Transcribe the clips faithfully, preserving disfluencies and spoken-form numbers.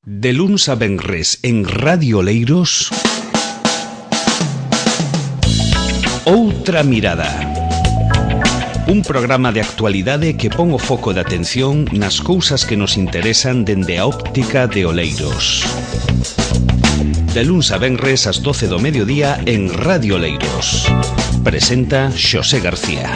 De luns a venres en Radio Oleiros, Outra Mirada. Un programa de actualidade que pon o foco de atención nas cousas que nos interesan dende a óptica de Oleiros. De luns a venres ás doce do mediodía en Radio Oleiros. Presenta Xosé García.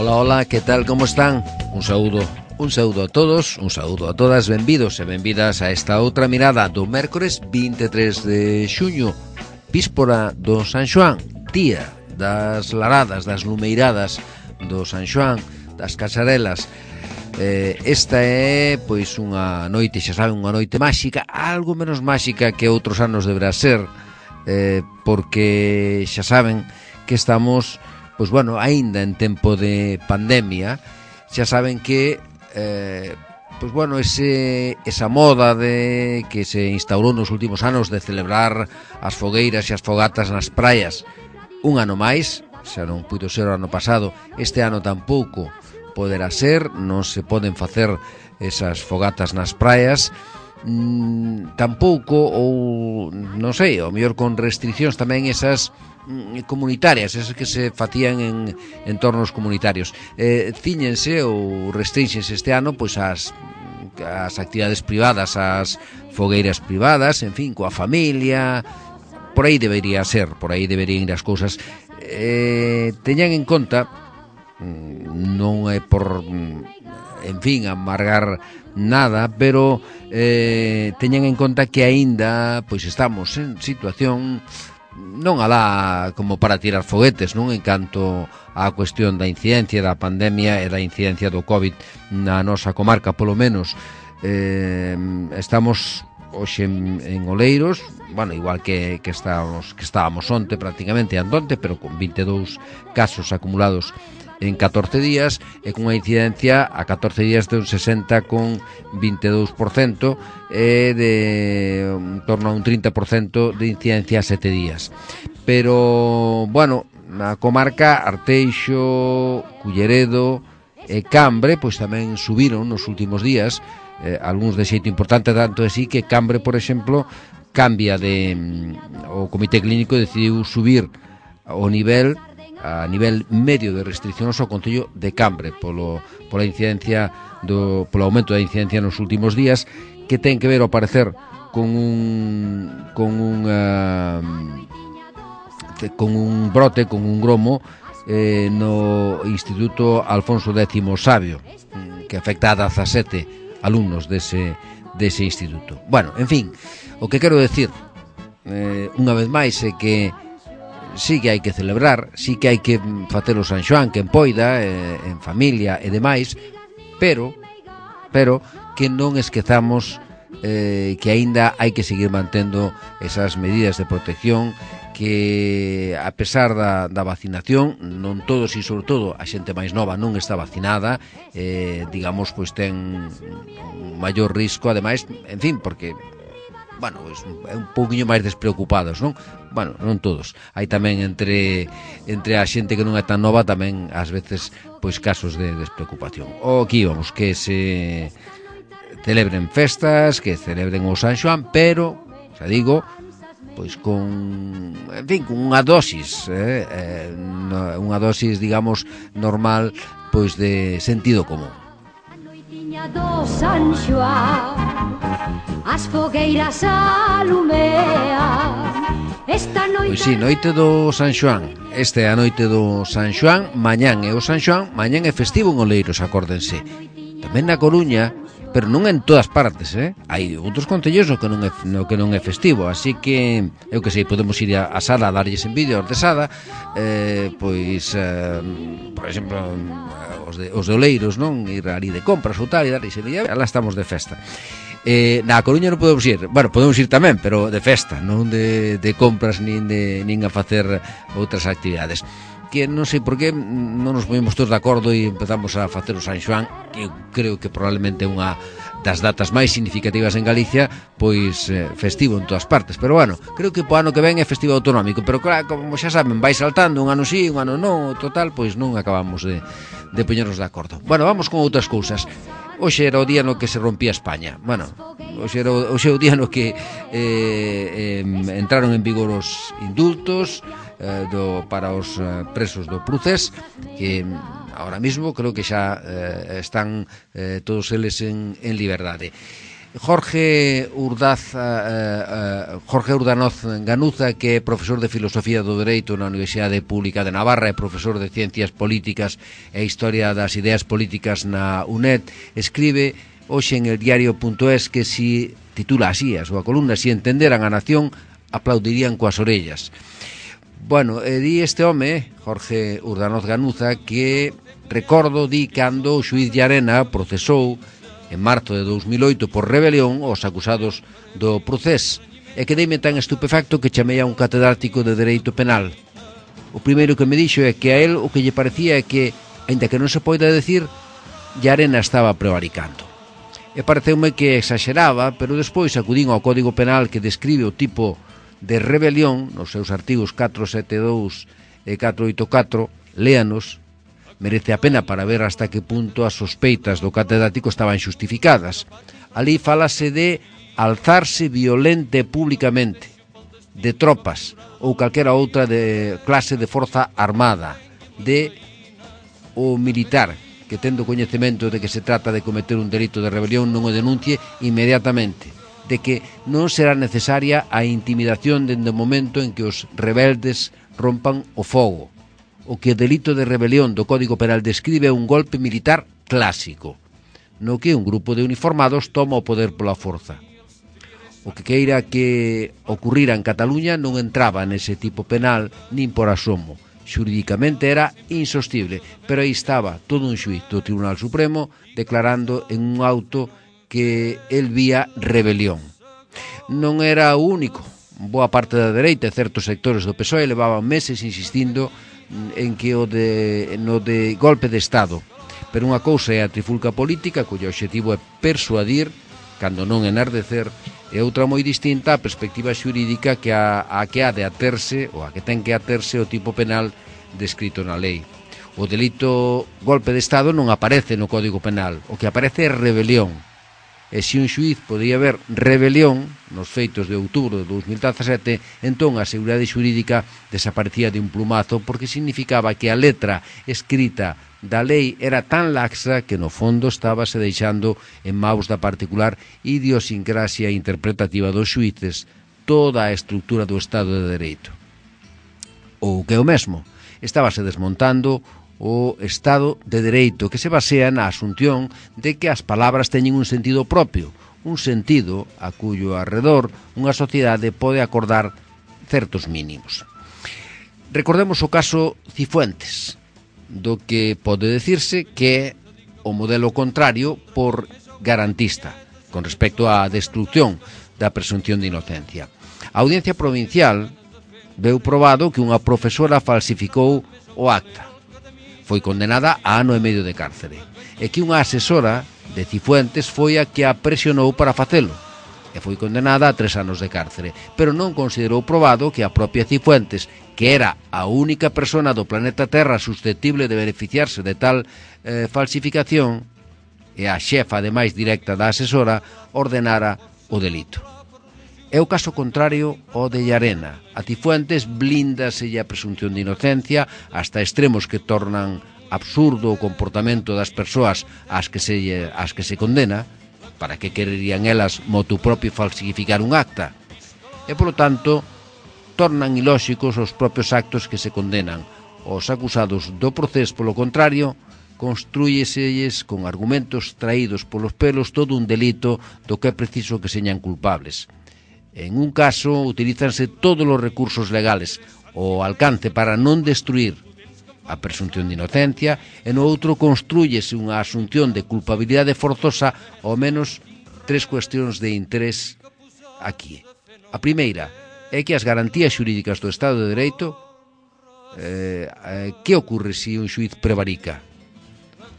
Hola, hola, que tal, como están? Un saúdo, un saúdo a todos, un saúdo a todas, benvidos e benvidas a esta outra mirada do mércores vinte e tres de xuño, víspora do San Xoán, día das laradas, das lumeiradas do San Xoán, das casarelas. Eh, esta é, pois, unha noite, xa saben, unha noite máxica, algo menos máxica que outros anos deberá ser, eh, porque xa saben que estamos... Pois bueno, aínda en tempo de pandemia, xa saben que eh, pois bueno, ese, esa moda de que se instaurou nos últimos anos de celebrar as fogueiras e as fogatas nas praias un ano máis, xa non puido ser o ano pasado, este ano tampouco poderá ser, non se poden facer esas fogatas nas praias, mm, tampouco, ou non sei, ao mellor con restriccións tamén esas comunitarias, esas que se facían en entornos comunitarios. Eh, cíñense ou restrínxense este ano pois as, as actividades privadas, as fogueiras privadas, en fin, coa familia, por aí debería ser, por aí deberían ir as cousas. Eh, teñan en conta, non é por, en fin, amargar nada, pero eh, teñan en conta que aínda pois estamos en situación non alá como para tirar foguetes, non, en canto á cuestión da incidencia da pandemia e da incidencia do COVID na nosa comarca, polo menos. Eh, estamos hoxe en, en Oleiros, bueno, igual que, que estábamos que estábamos onte prácticamente andonte, pero con vinte e dous casos acumulados en catorce días e cunha incidencia a catorce días de un sesenta con vinte e dous por cento e de en torno a un trinta por cento de incidencia a sete días. Pero, bueno, na comarca Arteixo, Culleredo e Cambre pois tamén subiron nos últimos días, eh, algúns de xeito importante, tanto así que Cambre, por exemplo, cambia de o Comité Clínico decidiu subir o nivel a nivel medio de restriccións ao concello de Cambre polo, pola incidencia do, polo aumento da incidencia nos últimos días, que ten que ver ao parecer con un con un uh, con un brote, con un gromo eh, no Instituto Alfonso X Sabio, que afecta a dezasete alumnos dese, dese instituto. Bueno, en fin, o que quero decir eh, unha vez máis é que sí que hai que celebrar, sí que hai que facer o San Xoán que en poida, eh, en familia e demais, pero pero que non esquezamos eh, que aínda hai que seguir mantendo esas medidas de protección, que a pesar da, da vacinación, non todos e sobre todo a xente máis nova non está vacinada, eh, digamos, pois ten un maior risco, ademais, en fin, porque bueno, é un pouquiño máis despreocupados, non? Bueno, non todos. Hai tamén entre entre a xente que non é tan nova tamén ás veces pois casos de despreocupación. O que íbamos, que se celebren festas, que celebren o San Xoán, pero, xa digo, pois con, en fin, con unha dosis, eh, eh, unha dosis, digamos, normal, pois de sentido común. Do San Xoán, as fogueiras alumean. Esta noite... Pois si, noite do San Xoán. Esta é a noite do San Xoán. Mañán é o San Xoán. Mañán é festivo en Oleiros, acórdense. Tamén na Coruña, pero non en todas partes, eh? Hai outros concellos no que non é, no que non é festivo, así que eu que sei, podemos ir a, a Sada a darlles en vídeo de Sada, eh, pois eh, por exemplo os de, os de Oleiros, non? Ir ali de compras ou tal e darlles en vídeo, alá estamos de festa. Eh, na Coruña non podemos ir, bueno, podemos ir tamén, pero de festa, non de, de compras nin, de, nin a facer outras actividades. que non sei por que non nos ponemos todos de acordo e empezamos a facer o San Xoán, que eu creo que probablemente é unha das datas máis significativas en Galicia, pois eh, festivo en todas partes. Pero bueno, creo que po ano que ven é festivo autonómico, pero claro, como xa saben, vai saltando un ano sí, un ano non, total, pois non acabamos de, de poñernos de acordo. Bueno, vamos con outras cousas. Hoxe era o día no que se rompía España. Bueno, hoxe era o, hoxe o día no que eh, eh, entraron en vigor os indultos eh, do, para os eh, presos do Procés, que ahora mismo creo que xa eh, están eh, todos eles en, en liberdade. Jorge Urdaz, eh, eh, Jorge Urdanoz Ganuza, que é profesor de Filosofía do Dereito na Universidade Pública de Navarra e profesor de Ciencias Políticas e Historia das Ideas Políticas na U N E D, escribe hoxe en el diario punto es que si titula así a súa columna: si entenderan a nación, aplaudirían coas orellas. Bueno, e di este home, Jorge Urdanoz Ganuza, que recordo di cando o xuíz Llarena procesou en marzo de dous mil oito por rebelión os acusados do Procés, e quedeime tan estupefacto que chamei a un catedrático de Dereito Penal. O primeiro que me dixo é que a él o que lle parecía é que, aínda que non se poida decir, Llarena estaba prevaricando. E pareceume que exageraba, pero despois acudín ao Código Penal que describe o tipo de rebelión nos seus artigos catro sete dous e catro oito catro, léanos. Merece a pena para ver hasta que punto as sospeitas do catedrático estaban xustificadas. Ali falase de alzarse violente públicamente, de tropas ou calquera outra de clase de forza armada, de o militar que, tendo coñecemento de que se trata de cometer un delito de rebelión, non o denuncie inmediatamente, de que non será necesaria a intimidación dende o momento en que os rebeldes rompan o fogo. O que o delito de rebelión do Código Penal describe é un golpe militar clásico, no que un grupo de uniformados toma o poder pola forza. O que queira que ocurrira en Cataluña non entraba nese tipo penal nin por asomo. Xurídicamente era insostible, pero aí estaba todo un xuíz do Tribunal Supremo declarando en un auto que el vía rebelión. Non era o único. Boa parte da dereita e certos sectores do P S O E levaban meses insistindo en que o de, no de golpe de Estado. Pero unha cousa é a trifulca política, cuyo obxectivo é persuadir, cando non enardecer, e outra moi distinta a perspectiva xurídica que a, a que ha de aterse, ou a que ten que aterse o tipo penal descrito na lei. O delito golpe de Estado non aparece no Código Penal, o que aparece é rebelión. E se un xuíz podía ver rebelión nos feitos de outubro de dous mil dezasete, entón a seguridade xurídica desaparecía de un plumazo, porque significaba que a letra escrita da lei era tan laxa que no fondo estábase deixando en maus da particular idiosincrasia interpretativa dos xuíces toda a estrutura do Estado de Dereito. Ou que é o mesmo, estábase desmontando o Estado de Dereito, que se basea na asunción de que as palabras teñen un sentido propio, un sentido a cuyo arredor unha sociedade pode acordar certos mínimos. Recordemos o caso Cifuentes, do que pode decirse que é o modelo contrario por garantista, con respecto á destrucción da presunción de inocencia. A Audiencia Provincial veu probado que unha profesora falsificou o acta. Foi condenada a ano e medio de cárcere, e que unha asesora de Cifuentes foi a que a presionou para facelo, e foi condenada a tres anos de cárcere, pero non considerou probado que a propia Cifuentes, que era a única persona do planeta Terra susceptible de beneficiarse de tal eh, falsificación, e a xefa, ademais directa da asesora, ordenara o delito. É o caso contrario ao de Llarena. A Cifuentes blíndase a presunción de inocencia hasta extremos que tornan absurdo o comportamento das persoas ás que se, ás que se condena. Para que quererían elas motu propio falsificar un acta? E, polo tanto, tornan ilóxicos os propios actos que se condenan. Os acusados do Procés, polo contrario, construíselles con argumentos traídos polos pelos todo un delito do que é preciso que señan culpables. En un caso, utilízanse todos os recursos legales ao alcance para non destruir a presunción de inocencia, e no outro construyese unha asunción de culpabilidade forzosa, ao menos tres cuestións de interés aquí. A primeira é que as garantías xurídicas do Estado de Dereito eh, eh, que ocorre se un xuiz prevarica?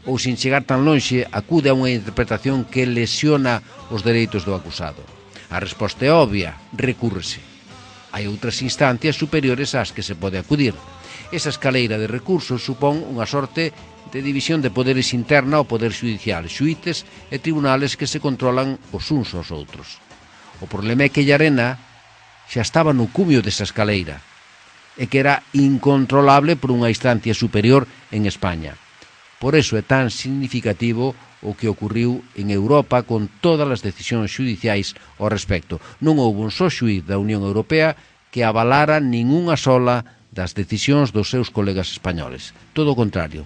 Ou, sin chegar tan lonxe, acude a unha interpretación que lesiona os dereitos do acusado? A resposta é obvia, recúrrese. Hai outras instancias superiores ás que se pode acudir. Esa escaleira de recursos supón unha sorte de división de poderes interna ao poder judicial, xuíces e tribunales que se controlan os uns aos outros. O problema é que Llarena xa estaba no cumio desa escaleira e que era incontrolable por unha instancia superior en España. Por eso é tan significativo o que ocurriu en Europa con todas as decisións judiciais ao respecto. Non houve un só xuíz da Unión Europea que avalara ningunha sola das decisións dos seus colegas españoles. Todo o contrario,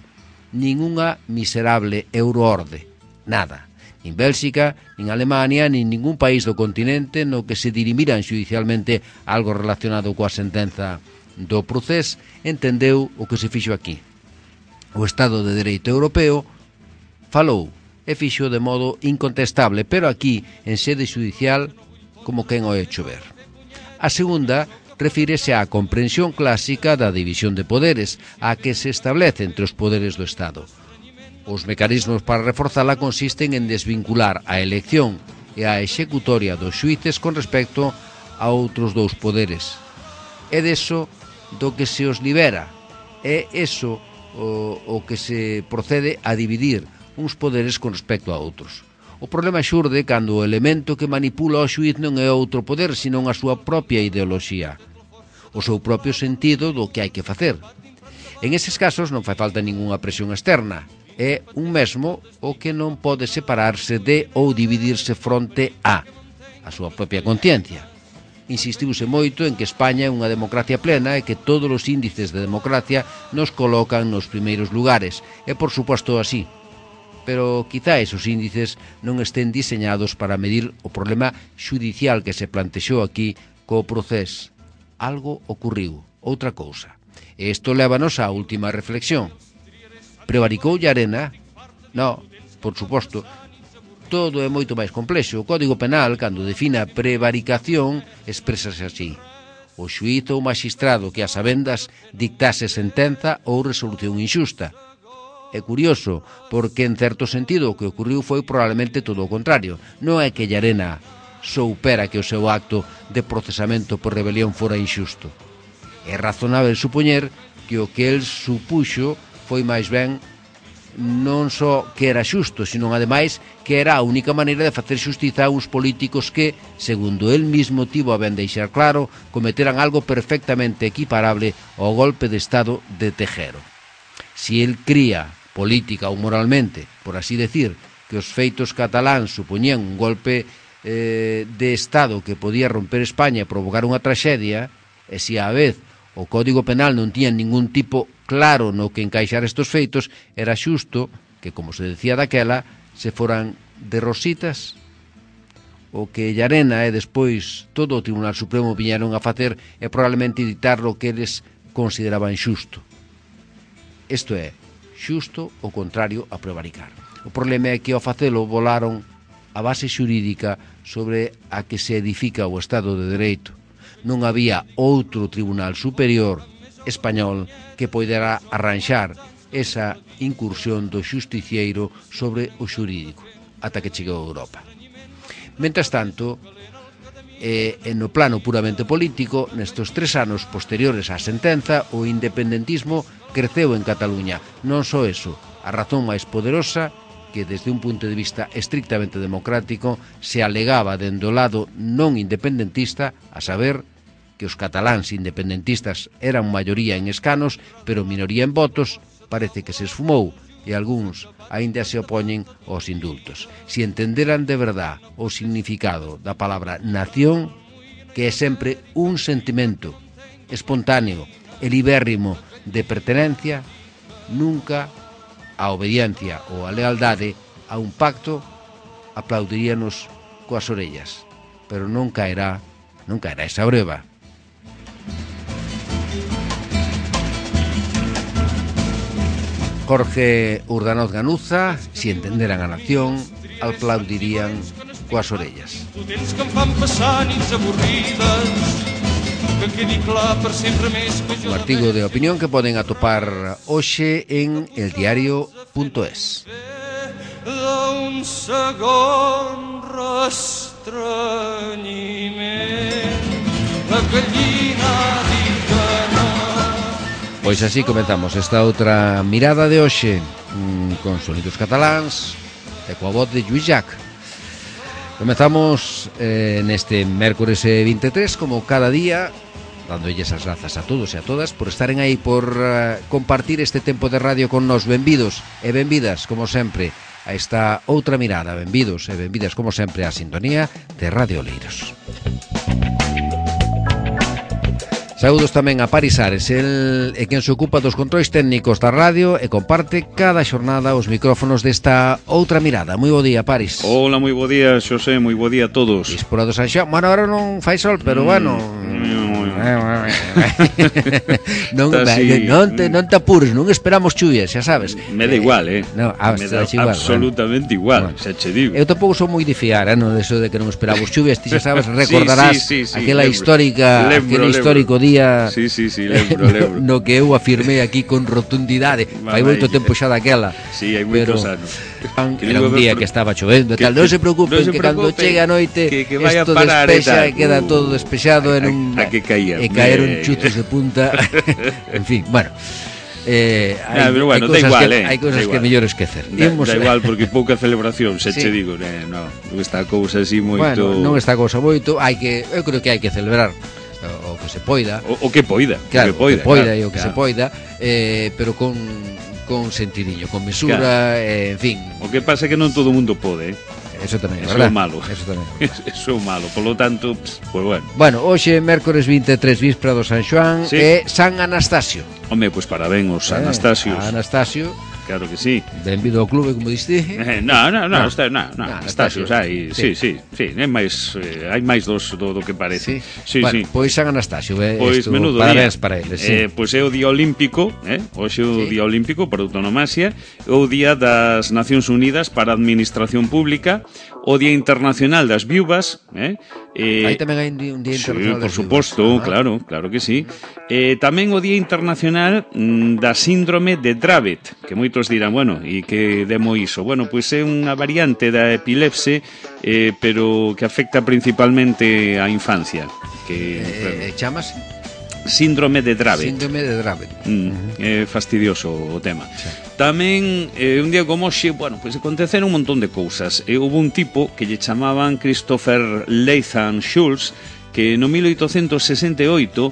ningunha miserable euroorde, nada. Nin Bélxica, nin Alemania, nin ningún país do continente no que se dirimiran judicialmente algo relacionado coa sentenza do procés entendeu o que se fixo aquí. O Estado de Dereito Europeo falou e fixo de modo incontestable, pero aquí, en sede judicial, como quen o hecho ver. A segunda refírese á comprensión clásica da división de poderes, a que se establece entre os poderes do Estado. Os mecanismos para reforzala consisten en desvincular a elección e a executoria dos xuíces con respecto a outros dous poderes. É deso do que se os libera, é eso O, o que se procede a dividir uns poderes con respecto a outros. O problema xurde cando o elemento que manipula o xuíz non é outro poder, senón a súa propia ideoloxía, o seu propio sentido do que hai que facer. En eses casos non fai falta ningunha presión externa, é un mesmo o que non pode separarse de ou dividirse fronte a a súa propia conciencia. Insistiuse moito en que España é unha democracia plena e que todos os índices de democracia nos colocan nos primeiros lugares. É por suposto así. Pero quizá esos índices non estén diseñados para medir o problema xudicial que se plantexou aquí co procés. Algo ocurriu, outra cousa. E isto lévanos á última reflexión. Prevaricou Llarena? No, por suposto. Todo é moito máis complexo. O Código Penal, cando define a prevaricación, exprésase así: o xuíz ou magistrado que a sabendas dictase sentenza ou resolución inxusta. É curioso, porque en certo sentido o que ocurriu foi probablemente todo o contrario. Non é que Llarena soupera que o seu acto de procesamento por rebelión fora inxusto. É razonável supoñer que o que el supuxo foi máis ben non só que era xusto, sino ademais que era a única maneira de facer xustiza a uns políticos que, segundo el mismo tivo a ben deixar claro, cometeran algo perfectamente equiparable ao golpe de Estado de Tejero. Si el cría, política ou moralmente, por así decir, que os feitos cataláns supoñían un golpe eh, de Estado que podía romper España e provocar unha traxedia, e si á vez o Código Penal non tiña ningún tipo claro no que encaixar estos feitos, era xusto que, como se decía daquela, se foran de rositas. O que Llarena e despois todo o Tribunal Supremo viñeron a facer é probablemente dictar o que eles consideraban xusto. Isto é, xusto o contrario a prevaricar. O problema é que ao facelo volaron a base xurídica sobre a que se edifica o Estado de Dereito. Non había outro tribunal superior español que poidera arranxar esa incursión do xusticieiro sobre o xurídico ata que chegou a Europa. Mentras tanto, eh, no plano puramente político, nestes tres anos posteriores á sentenza, o independentismo creceu en Cataluña. Non só eso, a razón máis poderosa, que desde un punto de vista estrictamente democrático se alegaba dende o lado non independentista, a saber que os cataláns independentistas eran maioría en escanos, pero minoría en votos, parece que se esfumou e algúns aínda se opoñen aos indultos. Si entenderan de verdad o significado da palabra nación, que é sempre un sentimento espontáneo e libérrimo de pertenencia, nunca a obediencia ou a lealdade a un pacto aplaudiríanos coas orellas, pero non caerá, non caerá esa breva. Jorge Urdanoz Ganuza, si entenderan a nación, aplaudirían coas orellas. Tu tens que em fan passar nits avorrides Un artigo de opinión que poden atopar hoxe en eldiario punto es. D'un segon restrenyiment, la gallina diu que no. Pois así comenzamos esta outra mirada de hoxe, con sonidos cataláns e coa voz de Lluís Llach. Comezamos eh, neste mércores veintitrés, como cada día, dándolles as grazas a todos e a todas por estaren aí, por uh, compartir este tempo de radio con nos. Benvidos e benvidas, como sempre, a esta outra mirada. Benvidos e benvidas, como sempre, á sintonía de Radio Oleiros. Saúdos tamén a Paris Ares, el é quen se ocupa dos controis técnicos da radio e comparte cada xornada os micrófonos desta outra mirada. Moi bo día, Paris. Hola, moi bo día, Xosé, moi bo día a todos. Dispora do San Xoán. Bueno, ahora non fai sol, pero bueno... non, así, non, te, non te apures, non esperamos chuvias, xa sabes. Me da igual, eh? No, ah, me da igual, absolutamente bueno. igual, bueno. xa che digo. Eu tampouco sou moi de fiar, eh, no deso de que non esperamos chuvias. Ti xa sabes, recordarás sí, sí, sí, sí, aquela lembro, histórica lembro, aquel lembro. histórico día Sí, sí, sí, lembro, lembro. no que eu afirmei aquí con rotundidade. Fai moito tempo xa daquela. Sí, hai moitos anos. Era un día que estaba chovendo e tal. Non se preocupen, no se que cando preocupen, chegue a noite que, que vaya esto a parar despexa e e queda uh, todo despexado a, en un, a, a que caía, e caeron me... chutos de punta. En fin, bueno. Eh, hai, nah, pero bueno, hai da igual, que, eh, hai cousas da que igual. mellor esquecer. Da, Imos, da igual, porque pouca celebración, se sí. che digo, eh, no, non está a cousa así moito. Bueno, non está a cousa moito, hai que, eu creo que hai que celebrar o, o que se poida. O, o que poida, claro, o que poida, o que poida claro, e o que claro. se poida, eh, pero con con sentidiño, con mesura, claro. eh, en fin. O que pasa é que non todo o mundo pode, eh? Eso tamén, Eso verdad? é malo. Eso tamén. Eso é malo, polo tanto, pues bueno. Bueno, hoxe mércores veintitrés, víspera do San Xoán, Sí. e San Anastasio. Home, pois parabéns aos Eh, Anastasios. a Anastasio, Claro que sí. benvido ao clube, como diste. Eh, no, no, no, No. está, no, no, No, Anastasios, hai, sí, sí, sí, hai máis, eh, hai máis dos do, do que parece. Sí, Sí, bueno, sí. pois San Anastasio, eh, Pois esto, menudo parabéns día. para eles, sí. Eh, pois é o día olímpico, eh? Hoxe é o Sí. día olímpico por autonomasia, é o día das Nacións Unidas para a Administración Pública, o día internacional das viúvas, eh? Eh, Aí tamén hai un día, un día Sí, internacional por das suposto, viúvas. Ah. claro, claro que sí. Eh, tamén o Día Internacional mm, da Síndrome de Dravet, que moitos dirán, bueno, e que demo iso? Bueno, pois é unha variante da epilepse, eh, pero que afecta principalmente á infancia. Que, claro, Eh, eh, chamas síndrome de Dravet. síndrome de Dravet. Mm, é fastidioso o tema. Sí. Tamén, eh, un día como hoxe, bueno, pois aconteceron un montón de cousas. E houve un tipo que lle chamaban Christopher Latham Schultz, que no mil oitocentos sesenta e oito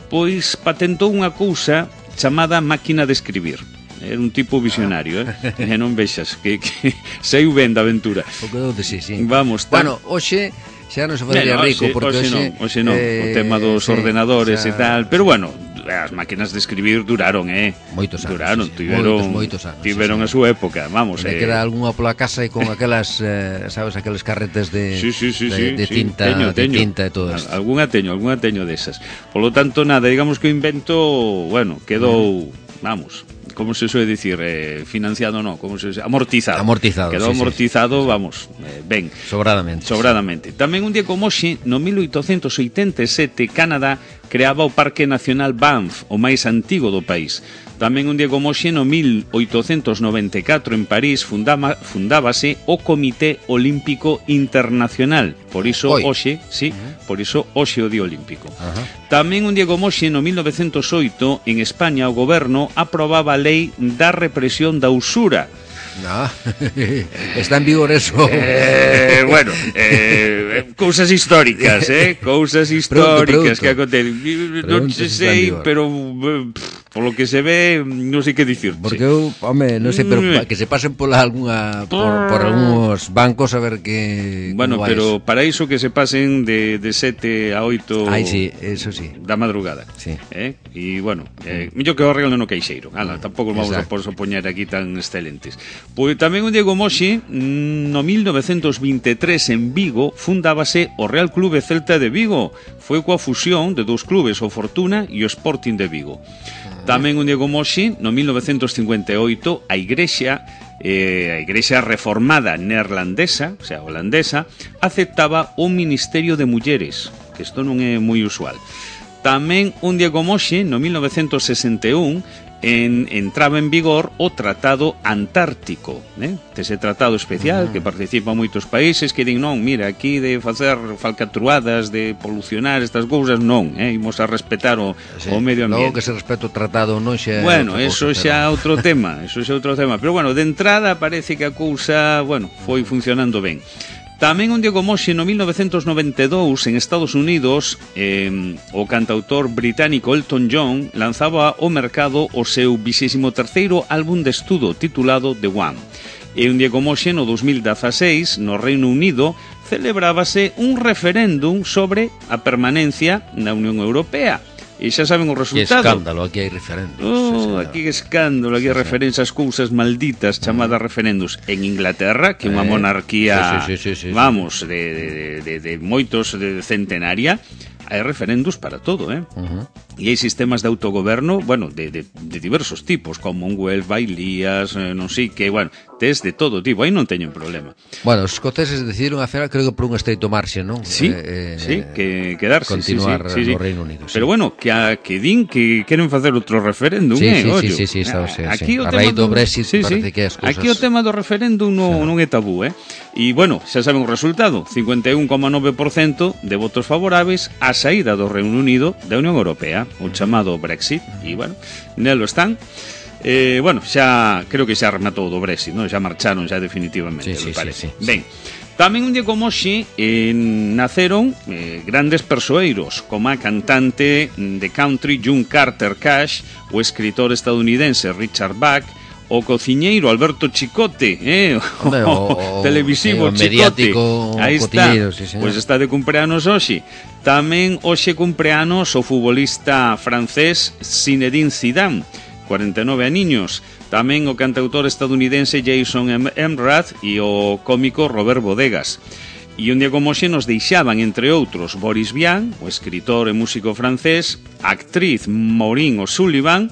pois patentou unha cousa chamada máquina de escribir. Era un tipo visionario, eh? E non vexas que, que saiu ben da aventura. O que donde sí, sí. Vamos, tan... Bueno, hoxe xa non se faría Bueno, rico, hoxe, porque hoxe hoxe... non, hoxe non, eh, o tema dos sí, ordenadores xa- e tal, pero bueno, as máquinas de escribir duraron, eh? Moitos anos, Duraron, sí, sí. tiveron, Moitos, moitos anos, tiveron sí, a sí. súa época, vamos, Me eh. queda algunha pola casa e con aquelas, eh, sabes, aqueles carretes de, Sí, sí, sí, de, sí, de sí. tinta, teño, de teño. tinta e todo Al- isto. Algunha teño, algunha teño desas. Polo tanto, nada, digamos que o invento, bueno, quedou, vamos, como se suele dicir, eh, financiado no, como se amortizado. Amortizado, Quedou sí, sí. amortizado, vamos, eh, ben. Sobradamente. Sobradamente. Tamén un día como hoxe, no mil oitocentos oitenta e sete, Canadá creaba o Parque Nacional Banff, o máis antigo do país. Tamén un día como hoxe, no mil oitocentos noventa e catro, en París, fundaba, fundábase o Comité Olímpico Internacional. Por iso Oi. hoxe, sí, por iso hoxe o Día Olímpico. Ajá. Tamén un día como hoxe, no mil novecentos oito, en España, o goberno aprobaba a lei da represión da usura. No. Está en vigor eso. Eh, bueno, eh, cousas históricas, eh? Cousas históricas pregunto. que acontecen. Non Pregunto se se está en sei, vigor. pero eh, pff, polo que se ve, non sei que dicir. Porque eu, home, non sei, pero Mm. pa- que se pasen pola algunha por, por algúns bancos a ver que Bueno, como vai pero eso. para iso que se pasen de, de sete a oito Ai, sí, eso sí. da madrugada. Sí. Eh? E, bueno, eh, mellor que o arreglo no queixeiro. Ala, tampouco vamos a Exacto. por poñer aquí tan excelentes. Pois tamén un Diego Moxi, no mil novecentos veintitrés en Vigo, fundábase o Real Clube Celta de Vigo. Foi coa fusión de dous clubes, o Fortuna e o Sporting de Vigo. Tamén un Diego Moxi, no mil novecentos cincuenta e oito, a Igrexa, eh, a Igrexa reformada neerlandesa, o sea, holandesa, aceptaba un ministerio de mulleres, que isto non é moi usual. Tamén un día como hoxe, no mil novecentos sesenta e un, En, entraba en vigor o Tratado Antártico, eh? Ese tratado especial uh-huh. que participan moitos países que din non, mira, aquí de facer falcatruadas, de polucionar estas cousas, non, eh? Imos a respetar o, sí, o medio ambiente. Logo que se respeta o tratado non xa... Bueno, eso xa é pero... outro tema, eso xa é outro tema, pero bueno, de entrada parece que a cousa, bueno, foi funcionando ben. Tamén un día como hoxe, no mil novecentos noventa e dous, en Estados Unidos, eh, o cantautor británico Elton John lanzaba ao mercado o seu vixésimo terceiro álbum de estudo titulado The One. E un día como hoxe, no dos mil dezaseis, no Reino Unido, celebrábase un referéndum sobre a permanencia na Unión Europea. E xa saben o resultado. Que escándalo, aquí hai referendos. Oh, aquí que escándalo, aquí hai sí, referencias sí. cousas malditas chamadas uh-huh. referendos. En Inglaterra, que é unha monarquía, sí, sí, sí, sí, sí, vamos, sí. De, de, de, de moitos de centenaria, hai referendos para todo, eh? Uh-huh. E hai sistemas de autogoberno, bueno, de, de, de diversos tipos, Commonwealth, bailías, eh, non sei que, bueno, tes de todo tipo, aí non teñen problema. Bueno, os escoceses decidiron a final, creo que por un estreito marxe, non? Sí, eh, sí, que quedarse, continuar sí, sí, sí, no Reino Unido. Sí. Pero bueno, que, a, que din que queren facer outro referéndum, sí, eh, sí, ollo. sí, sí, sí, está, sí, aquí sí. O a raíz do Brexit sí, parece sí. que as cousas... Aquí o tema do referéndum non, sí. non é tabú, eh? E, bueno, xa saben o resultado, cincuenta e un coma nove por cento de votos favorables á saída do Reino Unido da Unión Europea, o chamado Brexit, e, bueno, nelo están. Eh, bueno, xa, creo que xa rematou do Brexit, non? Xa marcharon xa definitivamente, sí, me sí, parece. Sí, sí, Ben, tamén un día como hoxe eh, naceron eh, grandes persoeiros, como a cantante de country June Carter Cash, o escritor estadounidense Richard Bach, o cociñeiro Alberto Chicote, eh, o, Hombre, o, o televisivo o Chicote. Aí está, sí, pois pues está de cumpleanos hoxe. Tamén hoxe cumpleanos o futbolista francés Zinedine Zidane, cuarenta e nove aniños. Tamén o cantautor estadounidense Jason Mraz e o cómico Robert Bodegas. E un día como hoxe nos deixaban, entre outros, Boris Vian, o escritor e músico francés, a actriz Maureen O'Sullivan,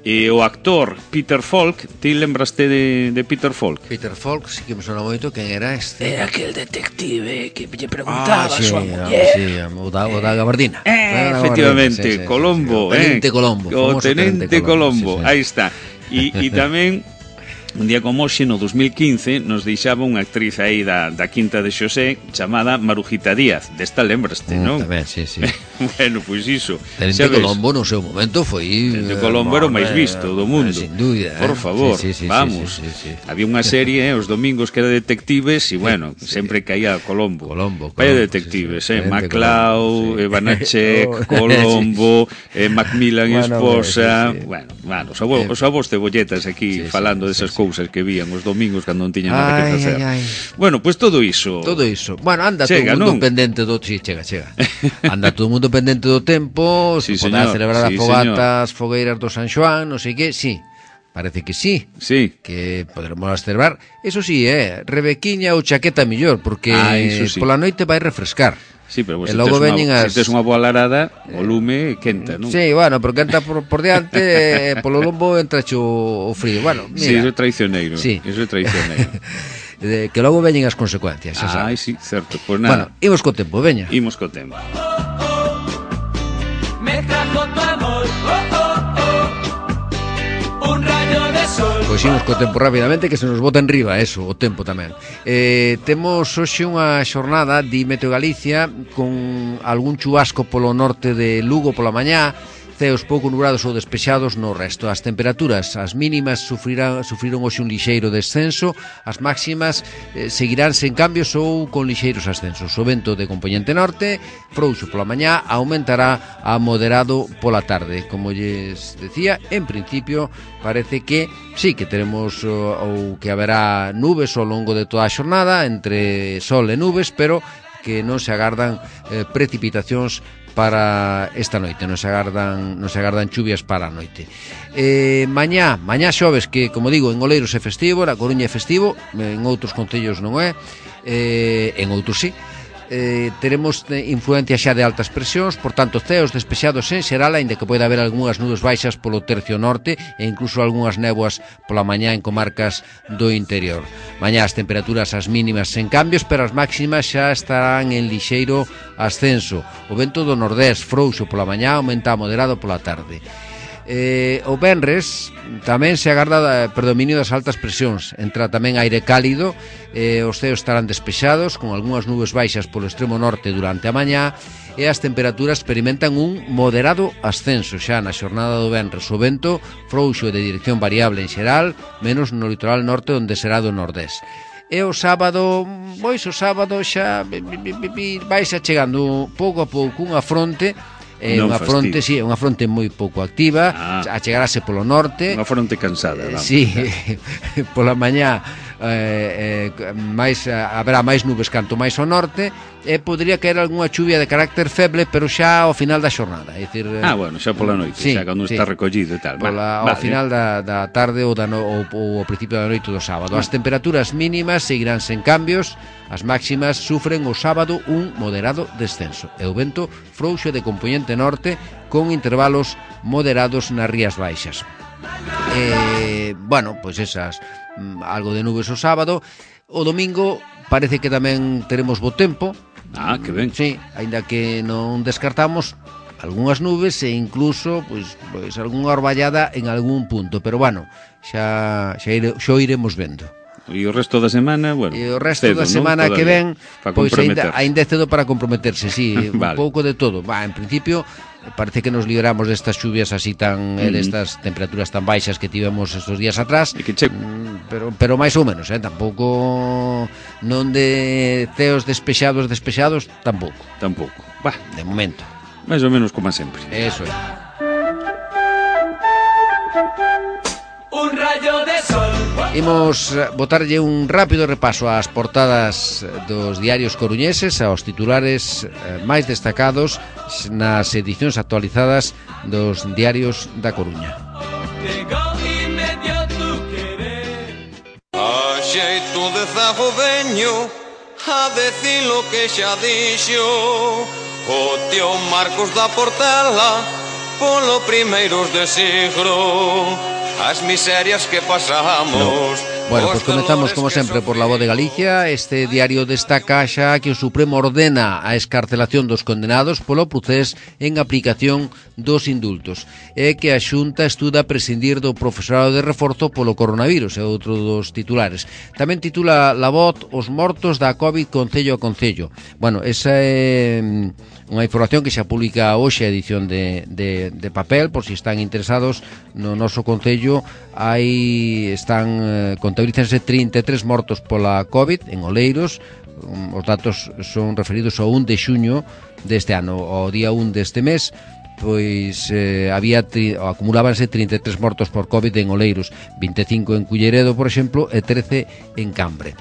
e o actor Peter Falk. Ti lembraste de, de Peter Falk? Peter Falk, sí que me sona moito. Quen era este? Era aquel detective que lle preguntaba ah, sí, a súa muller. Sí, o da, o da gabardina. Eh, efectivamente, sí, sí, Colombo. Sí, sí, sí. O Tenente eh, Colombo. O Tenente, Tenente Colombo, Colombo. Sí, sí. Aí está. E, e tamén un día como hoxe, no dos mil quince, nos deixaba unha actriz aí da, da Quinta de Xosé chamada Marujita Díaz. Desta lembraste, non? Mm, tamén, sí, sí. Bueno, pois iso. Tenente Colombo no seu momento foi... Tenente Colombo era o máis visto do mundo. Sin dúbida. Por favor, sí, sí, sí, vamos. Sí, sí, sí, sí. Había unha serie, eh, os domingos que era detectives e, bueno, sí, sempre caía Colombo. Colombo, Colombo. Vaya detectives, sí, sí. eh? Maclau, sí. Banachek, oh, Colombo, eh, Macmillan bueno, esposa... sí, sí. Bueno, bueno, os avós, os avós cebolletas aquí sí, falando sí, desas sí, cousas que vían os domingos cando non tiñan nada que facer. Ay, ay, ay. Bueno, pois pues todo iso. Todo iso. Bueno, anda chega, todo o mundo non? pendente do... Sí, chega, chega. Anda todo o mundo pendente do tempo, sí, se poderá celebrar sí, as fogatas, señor. Fogueiras do San Xoán, non sei que, sí. Parece que sí. Sí. Que poderemos celebrar. Eso sí, eh, rebequiña ou chaqueta millor, porque ah, sí. Pola noite vai refrescar. Sí, pero e se logo tes, unha, as... se tes unha boa larada, o lume quenta, non? Sí, bueno, pero quenta por, por diante, eh, polo lombo entra o, o frío. Bueno, mira. Sí, iso é traicioneiro. Sí. Iso é traicioneiro. De, que logo veñen as consecuencias, xa sabes. Ai, sí, certo. Pois pues nada. Bueno, imos co tempo, veña. Imos co tempo. Me trajo tu amor, oh, oh, oh, un rayo de sol. Pois imos co tempo rapidamente, que se nos bota en riba, eso, o tempo tamén. Eh, temos hoxe unha xornada de Meteo Galicia con algún chubasco polo norte de Lugo pola mañá, ceos pouco nublados ou despexados no resto. As temperaturas, as mínimas sufrirán, sufriron hoxe un lixeiro descenso, as máximas eh, seguirán sen cambios ou con lixeiros ascensos. O vento de compoñente norte, frouxo pola mañá, aumentará a moderado pola tarde. Como lles decía, en principio parece que sí que teremos ou que haberá nubes ao longo de toda a xornada, entre sol e nubes, pero que non se agardan eh, precipitacións para esta noite, non se agardan non se agardan chuvias para a noite. Eh, mañá, mañá xoves, que como digo, en Oleiros é festivo, na Coruña é festivo, en outros concellos non é, eh, en outros sí. eh, teremos influencia xa de altas presións, por tanto ceos despexados en xeral, aínda que pode haber algunhas nubes baixas polo tercio norte e incluso algunhas néboas pola mañá en comarcas do interior. Mañá as temperaturas as mínimas sen cambios, pero as máximas xa estarán en lixeiro ascenso. O vento do nordés frouxo pola mañá, aumenta a moderado pola tarde. Eh, o venres tamén se agarda predominio das altas presións, entra tamén aire cálido, eh, os ceos estarán despexados con algunhas nubes baixas polo extremo norte durante a mañá e as temperaturas experimentan un moderado ascenso xa na xornada do venres. O vento frouxo de dirección variable en xeral, menos no litoral norte onde será do nordés. E o sábado, pois o sábado xa vai xa chegando pouco a pouco unha fronte. É non unha fronte, si, sí, unha fronte moi pouco activa, ah. a chegarase polo norte. Unha fronte cansada, vamos. Si, sí, pola mañá eh, eh, máis, haberá máis nubes canto máis ao norte e podría caer algunha chuvia de carácter feble, pero xa ao final da xornada, é dicir, ah, bueno, xa pola noite, sí, xa cando sí, está recollido e tal. Pola, ao vale. Final da, da tarde ou, da no, ou, ou ao principio da noite do sábado. As temperaturas mínimas seguirán sen cambios, as máximas sufren o sábado un moderado descenso e o vento frouxo de compoñente norte con intervalos moderados nas rías baixas. Eh, bueno, pois esas, algo de nubes o sábado. O domingo parece que tamén teremos bo tempo. Ah, que ben. Sí, aínda que non descartamos algunhas nubes e incluso pois, pois algunha orballada en algún punto, pero bueno, xa xa, ire, xa iremos vendo. E o resto da semana, bueno, e o resto cedo, da semana, ¿no?, que ven, pois aínda aínda é cedo para comprometerse, sí, vale. Un pouco de todo. Va, en principio parece que nos libramos destas chuvias así tan, mm-hmm. eh, destas temperaturas tan baixas que tivemos estos días atrás, e que che... pero pero máis ou menos, eh, tampouco non de ceos despexados despexados, tampouco. Tampouco. Va, de momento. Máis ou menos como sempre. Eso é. Un rayo de sol. Imos botarlle un rápido repaso ás portadas dos diarios coruñeses, aos titulares máis destacados nas edicións actualizadas dos diarios da Coruña. A xeito de zagoveño, a decir lo que xa dixo o tío Marcos da Portela polo primeiros de siglo. As miserias que pasamos. No. Bueno, pues comenzamos como sempre por La Voz de Galicia. Este diario destaca xa que o Supremo ordena a escarcelación dos condenados polo procés en aplicación dos indultos e que a Xunta estuda prescindir do profesorado de reforzo polo coronavirus, é outro dos titulares. Tamén titula La Voz os mortos da COVID concello a concello. Bueno, esa é unha información que xa publica hoxe a edición de, de, de papel, por si están interesados no noso concello. Aí están eh, contabilícense trinta e tres mortos pola COVID en Oleiros. Os datos son referidos ao un de xuño deste ano. Ao día un deste mes, pois eh, había tri, acumulábanse trinta e tres mortos por COVID en Oleiros, vinte e cinco en Culleredo, por exemplo, e trece en Cambre.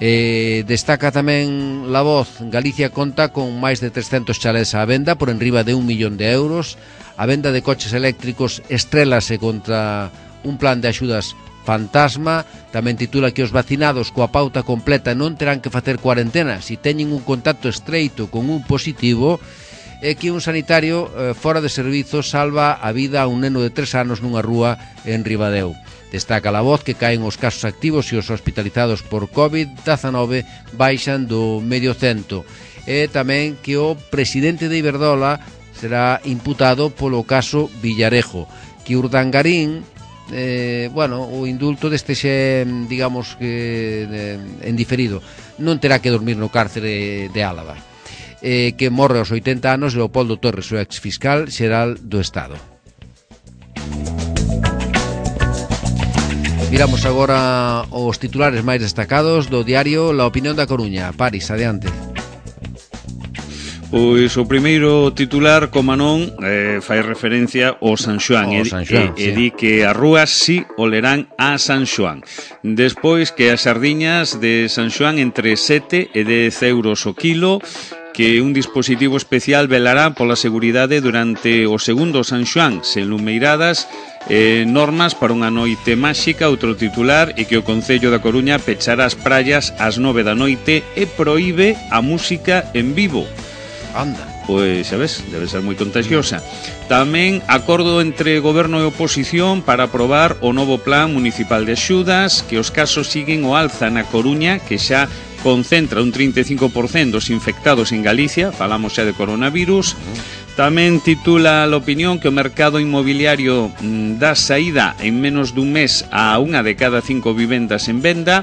Eh, destaca tamén La Voz, Galicia conta con máis de trescentos chalés á venda por enriba de un millón de euros. A venda de coches eléctricos estrélase contra un plan de axudas fantasma. Tamén titula que os vacinados coa pauta completa non terán que facer cuarentena se teñen un contacto estreito con un positivo, e que un sanitario eh, fora de servizo salva a vida a un neno de tres anos nunha rúa en Ribadeo. Destaca La Voz que caen os casos activos e os hospitalizados por COVID diecinueve baixan do medio cento. E tamén que o presidente de Iberdrola será imputado polo caso Villarejo. Que Urdangarín, eh, bueno, o indulto deste xe, digamos que eh, en diferido, non terá que dormir no cárcere de Álava. Eh, que morre aos oitenta anos Leopoldo Torres, o exfiscal xeral do Estado. Miramos agora os titulares máis destacados do diario La Opinión da Coruña. Paris, adiante. Pois o primeiro titular, como non, eh, fai referencia ao San Xoán, oh, e, San Xoán, e, sí. e di que as rúas si olerán a San Xoán. Despois que as sardiñas de San Xoán entre sete e dez euros o kilo, que un dispositivo especial velará pola seguridade durante o segundo San Xoán, sen lumeiradas, eh, normas para unha noite máxica. Outro titular é que o Concello da Coruña pechará as praias ás nove da noite e proíbe a música en vivo. Anda. Pois, sabes, debe ser moi contagiosa. Tamén acordo entre goberno e oposición para aprobar o novo plan municipal de axudas, que os casos siguen o alza na Coruña, que xa concentra un trinta e cinco por cento dos infectados en Galicia, falamos xa de coronavirus. Tamén titula a opinión que o mercado inmobiliario mm, dá saída en menos dun mes a unha de cada cinco vivendas en venda.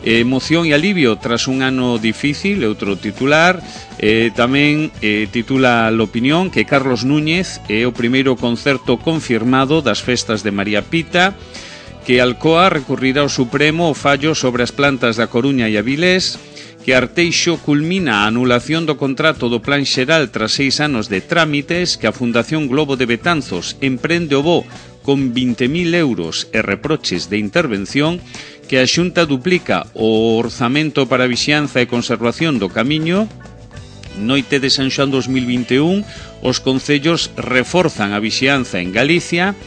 Emoción e alivio tras un ano difícil, outro titular. eh, Tamén eh, titula a opinión que Carlos Núñez é o primeiro concerto confirmado das festas de María Pita, que Alcoa recurrirá ao Supremo o fallo sobre as plantas da Coruña e Avilés, que Arteixo culmina a anulación do contrato do Plan Xeral tras seis anos de trámites, que a Fundación Globo de Betanzos emprende o voo con vinte mil euros e reproches de intervención, que a Xunta duplica o orzamento para a vixianza e conservación do camiño. Noite de San Xoán dos mil vinte e un, os concellos reforzan a vixianza en Galicia.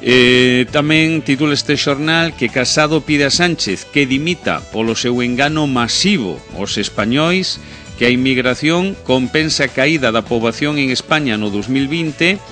Eh, tamén titula este xornal que Casado pide a Sánchez que dimita polo seu engano masivo aos españois, que a inmigración compensa a caída da poboación en España no dos mil vinte,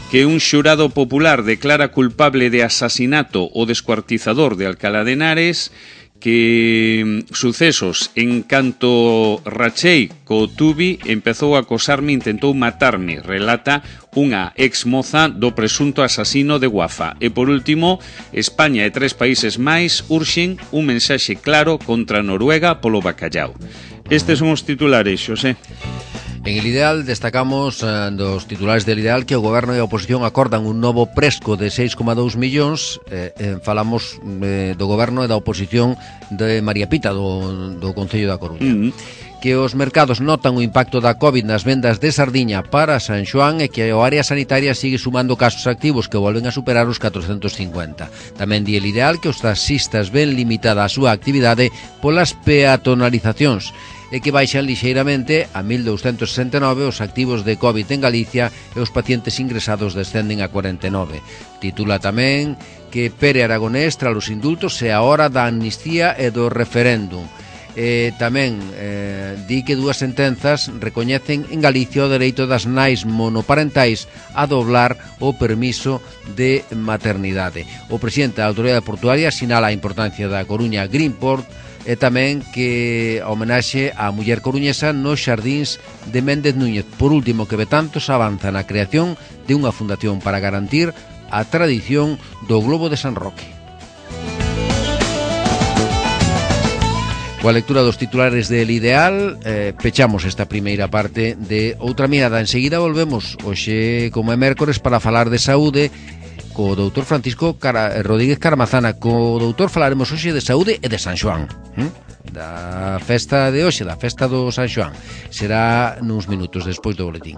que un xurado popular declara culpable de asasinato o descuartizador de Alcalá de Henares, que sucesos en canto rachei co Tubi empezou a acosarme, intentou matarme, relata unha ex moza do presunto asasino de Guafa. E por último, España e tres países máis urxen un mensaxe claro contra Noruega polo bacallao. Estes son os titulares, Xosé. En el Ideal destacamos eh, dos titulares del Ideal que o Goberno e a oposición acordan un novo presco de seis coma dous millóns. eh, eh, Falamos eh, do Goberno e da oposición de María Pita, do, do Concello da Coruña. Mm-hmm. Que os mercados notan o impacto da COVID nas vendas de sardiña para San Xoán e que a área sanitaria sigue sumando casos activos que volven a superar os catrocentos cincuenta. Tamén di el Ideal que os taxistas ven limitada a súa actividade polas peatonalizacións e que baixan lixeiramente a mil douscentos sesenta e nove os activos de COVID en Galicia e os pacientes ingresados descenden a cuarenta e nove. Titula tamén que Pere Aragonés tras os indultos é a hora da amnistía e do referéndum. E tamén eh, di que dúas sentenzas recoñecen en Galicia o dereito das nais monoparentais a doblar o permiso de maternidade. O presidente da Autoridade Portuaria sinala a importancia da Coruña Greenport e tamén que a homenaxe á muller coruñesa nos xardíns de Méndez Núñez. Por último, que Betanzos avanza na creación de unha fundación para garantir a tradición do Globo de San Roque. Coa lectura dos titulares del Ideal, eh, pechamos esta primeira parte de Outra Mirada. Enseguida volvemos, hoxe como é mércores, para falar de saúde co doutor Francisco Cara, Rodríguez Caramazana. Co doutor falaremos hoxe de saúde e de San Xoán, hm? da festa de hoxe, da festa do San Xoán. Será nuns minutos despois do boletín.